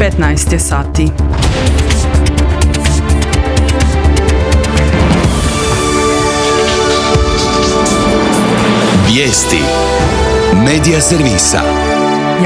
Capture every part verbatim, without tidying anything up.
petnaest je sati. Vijesti Medija servisa.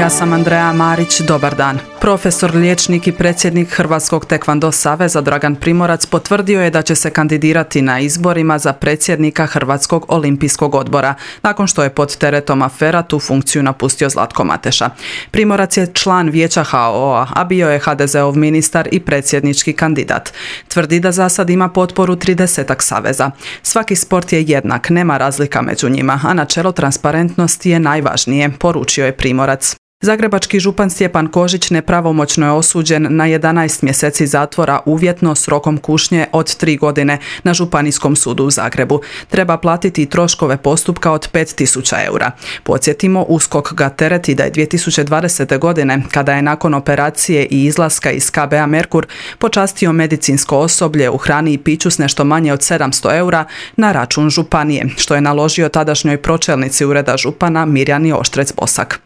Ja sam Andreja Marić, dobar dan. Profesor, liječnik i predsjednik Hrvatskog tekvando saveza Dragan Primorac potvrdio je da će se kandidirati na izborima za predsjednika Hrvatskog olimpijskog odbora, nakon što je pod teretom afera tu funkciju napustio Zlatko Mateša. Primorac je član vijeća ha o a, a bio je ha de zeov ministar i predsjednički kandidat. Tvrdi da za sad ima potporu tridesetak saveza. Svaki sport je jednak, nema razlika među njima, a načelo transparentnosti je najvažnije, poručio je Primorac. Zagrebački župan Stjepan Kožić nepravomoćno je osuđen na jedanaest mjeseci zatvora uvjetno s rokom kušnje od tri godine na Županijskom sudu u Zagrebu. Treba platiti i troškove postupka od pet tisuća eura. Podsjetimo, U S K O K ga tereti da je dvije tisuće dvadesete. godine, kada je nakon operacije i izlaska iz ka be a Merkur počastio medicinsko osoblje u hrani i piću s nešto manje od sedamsto eura na račun županije, što je naložio tadašnjoj pročelnici ureda župana Mirjani Oštrec-Bosak.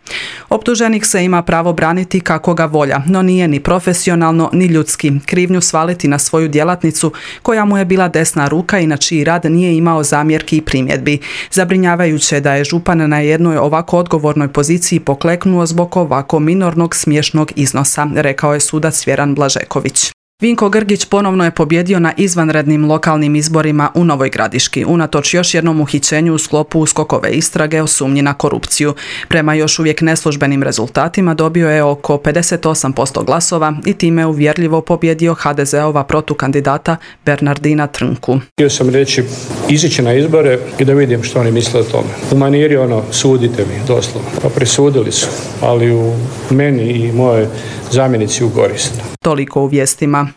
Optuženik se ima pravo braniti kako ga volja, no nije ni profesionalno ni ljudski krivnju svaliti na svoju djelatnicu koja mu je bila desna ruka i na čiji rad nije imao zamjerki i primjedbi. Zabrinjavajuće je da je župan na jednoj ovako odgovornoj poziciji pokleknuo zbog ovako minornog smiješnog iznosa, rekao je sudac Vjeran Blažeković. Vinko Grgić ponovno je pobjedio na izvanrednim lokalnim izborima u Novoj Gradiški, unatoč još jednom uhićenju u sklopu U S K O K-ove istrage o sumnji na korupciju. Prema još uvijek neslužbenim rezultatima dobio je oko pedeset osam posto glasova i time uvjerljivo pobjedio ha de zeova protukandidata Bernardina Trnku. Htio sam reći, izići na izbore i da vidim što oni misle o tome. U maniri ono, sudite mi, doslovno. Pa presudili su, ali u meni i moje zamjenici u korist. Toliko u vijestima.